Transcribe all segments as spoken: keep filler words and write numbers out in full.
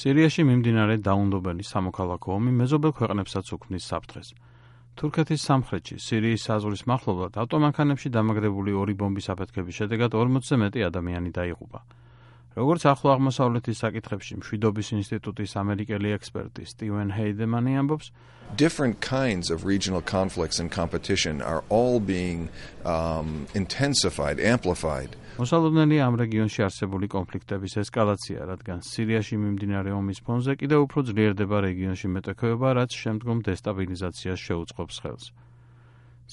სირიაში მიმდინარე დაუნდობელი სამოქალაქო ომი მეზობელ ქვეყნებსაც უქმნის საფრთხეს. თურქეთის სამხრეთში, სირიის საზღვრის მახლობლად, ავტომანქანებში დამაგრებული ორი ბომბის აფეთქების შედეგად ორმოცზე მეტი ადამიანი დაიღუპა. როგორც ახლო აღმოსავლეთის საკითხებში მშვიდობის ინსტიტუტის ამერიკელი ექსპერტი სტივენ ჰეიდემანი ამბობს, different kinds of regional conflicts and competition are all being um, intensified, amplified. მოსალოდნელია ამ რეგიონში არსებული კონფლიქტების ესკალაცია, რადგან სირიაში მიმდინარე ომის ფონზე კიდევ უფრო ძლიერდება რეგიონში მეტოქეობა, რაც შემდგომ დესტაბილიზაციას შეუწყობს ხელს.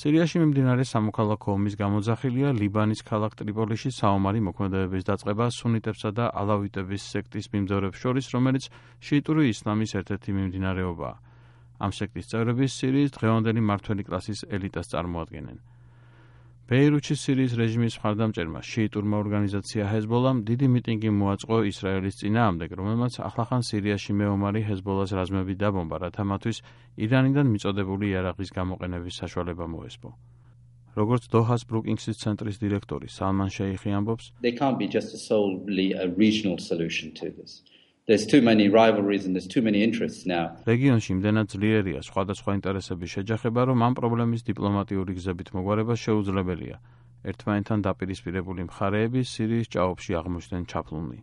სირიაში მიმდინარე სამოქალაქო ომის გამოძახილია ლიბანის ქალაქ ტრიპოლიში საომარი მოქმედებების დაწყება სუნიტებსა და ალავიტების სექტის მიმდევრებს შორის, რომელიც შიიტური ისლამის ერთ-ერთი მიმდინარეობაა. ამ სექტის წევრები სირიის დღევანდელი მმართველი კლასის ელიტას წარმოადგენენ. ბეირუთში სირიის რეჟიმის მხარდამჭერმა შიიტურმა ორგანიზაცია ჰეზბოლამ დიდი მიტინგი მოაწყო ისრაელის წინააღმდეგ, რომელმაც ახლახან სირიაში მეომარი ჰეზბოლას რაზმები დაბომბა, რათა მათთვის ირანიდან მიწოდებული იარაღის გამოყენების საშუალება მოესპო. როგორც დოჰას ბრუკინგსის ცენტრის დირექტორი სალმან შეიხი ამბობს, There can't be just a solely a regional solution to this. There's too many rivalries and there's too many interests now. რეგიონში იმდენად ძლიერია სხვადასხვა ინტერესების შეჯახება, რომ ამ პრობლემის დიპლომატიური გზებით მოგვარება შეუძლებელია. ერთმანეთთან დაპირისპირებული მხარეები სირიის ჭაობში აღმოჩნდნენ ჩაფლული.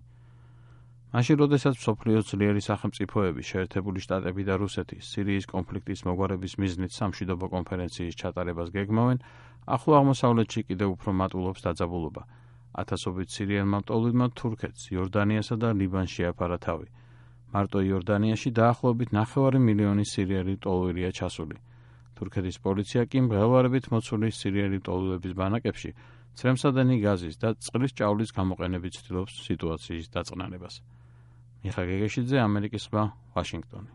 მაშინ, როდესაც მსოფლიოს ძლიერი სახელმწიფოები, შეერთებული შტატები და რუსეთი სირიის კონფლიქტის მოგვარების მიზნით სამშვიდობო კონფერენციის ჩატარებას გეგმავენ, ახლო აღმოსავლეთში კიდევ უფრო მატულობს დაძაბულობა. ათასობით სირიელმა მტოვლილმა თურქეთს, იორდანიასა და ლიბანს შეაფარა თავი. მარტო იორდანიაში დაახლოებით ნახევარი მილიონი სირიელი მტოვლილია ჩასული. თურქეთის პოლიცია კი მღელვარებით მოცული სირიელი მტოვლილების ბანაკებში ცრემსადენი გაზის და წყლის ჭაულის გამოყენებით ცდილობს სიტუაციის დაწყნარებას. მიხა გეგეშიძე, ამერიკის ზღვა, ვაშინგტონი.